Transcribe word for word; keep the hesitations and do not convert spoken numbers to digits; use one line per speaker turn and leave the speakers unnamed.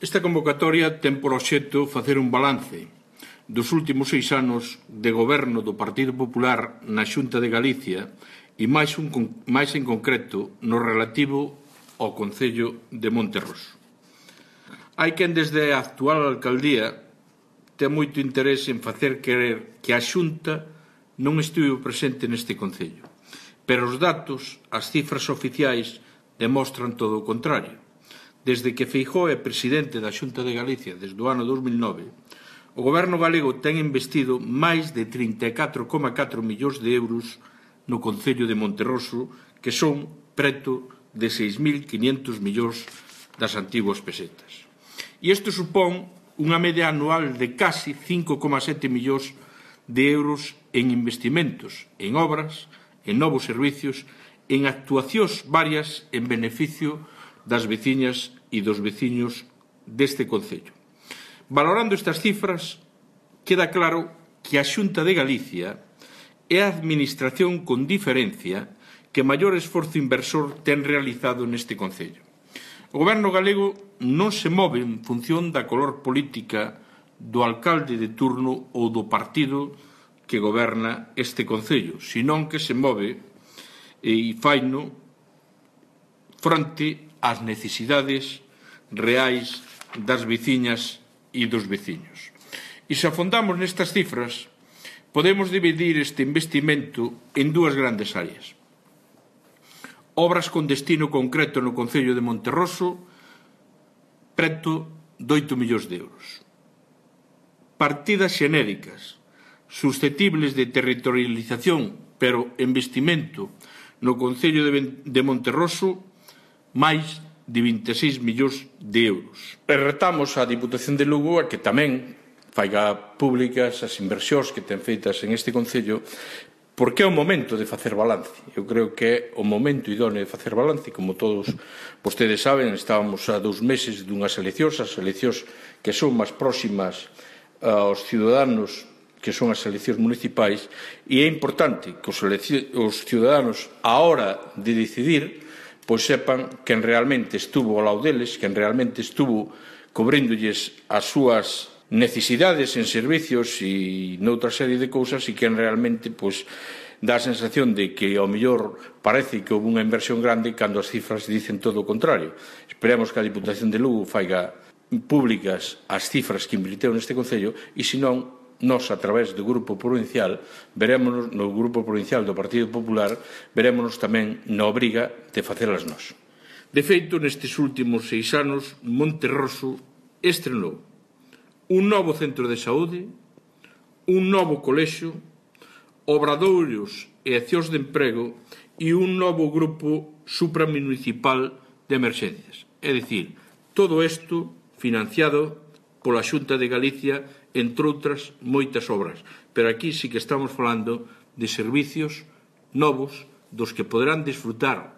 Esta convocatoria ten por obxecto facer un balance dos últimos seis anos de goberno do Partido Popular na Xunta de Galicia e máis, un, máis en concreto no relativo ao Concello de Monterroso. Hai quen desde a actual alcaldía ten moito interés en facer querer que a Xunta non estivo presente neste Concello, pero os datos, as cifras oficiais, demostran todo o contrario. Desde que Feijóo é presidente da Xunta de Galicia desde o ano dos mil nove, o Goberno galego ten investido máis de trinta e catro coma catro millóns de euros no Concello de Monterroso, que son preto de seis mil quinhentos millóns das antiguas pesetas. E isto supón unha media anual de casi cinco coma sete millóns de euros en investimentos, en obras, en novos servicios, en actuacións varias en beneficio das veciñas e dos veciños deste Concello. Valorando estas cifras, queda claro que a Xunta de Galicia é a administración con diferencia que maior esforzo inversor ten realizado neste Concello. O Goberno galego non se move en función da color política do alcalde de turno ou do partido que goberna este Concello, senón que se move e faino fronte ás necesidades reais das veciñas e dos veciños. E se afondamos nestas cifras, podemos dividir este investimento en dúas grandes áreas. Obras con destino concreto no Concello de Monterroso, preto de oito millóns de euros. Partidas xenéricas, susceptibles de territorialización, pero investimento no Concello de Monterroso, máis de vinte e seis millóns de euros. E retamos a Diputación de Lugo a que tamén faiga públicas as inversións que ten feitas en este Concello, porque é o momento de facer balance. Eu creo que é o momento idóneo de facer balance, como todos vostedes saben, estábamos a dous meses dunhas eleccións, as eleccións que son máis próximas aos ciudadanos, que son as eleccións municipais, e é importante que os ciudadanos, á hora de decidir, pois sepan quen realmente estuvo ao lado deles, quen realmente estuvo cobríndolles as súas necesidades en servicios e noutra serie de cousas, e quen realmente pois dá a sensación de que ao mellor parece que houve unha inversión grande cando as cifras dicen todo o contrario. Esperemos que a Diputación de Lugo faiga públicas as cifras que invirteu neste Concello e, senón, nós, a través do Grupo Provincial, verémonos no Grupo Provincial do Partido Popular, verémonos tamén na obriga de facelas nós. De feito, nestes últimos seis anos, Monterroso estrenou un novo centro de saúde, un novo colexio, obradoiros e accións de emprego e un novo grupo supramunicipal de emerxencias. É dicir, todo isto financiado pola Xunta de Galicia, entre outras moitas obras. Pero aquí sí que estamos falando de servicios novos dos que poderán disfrutar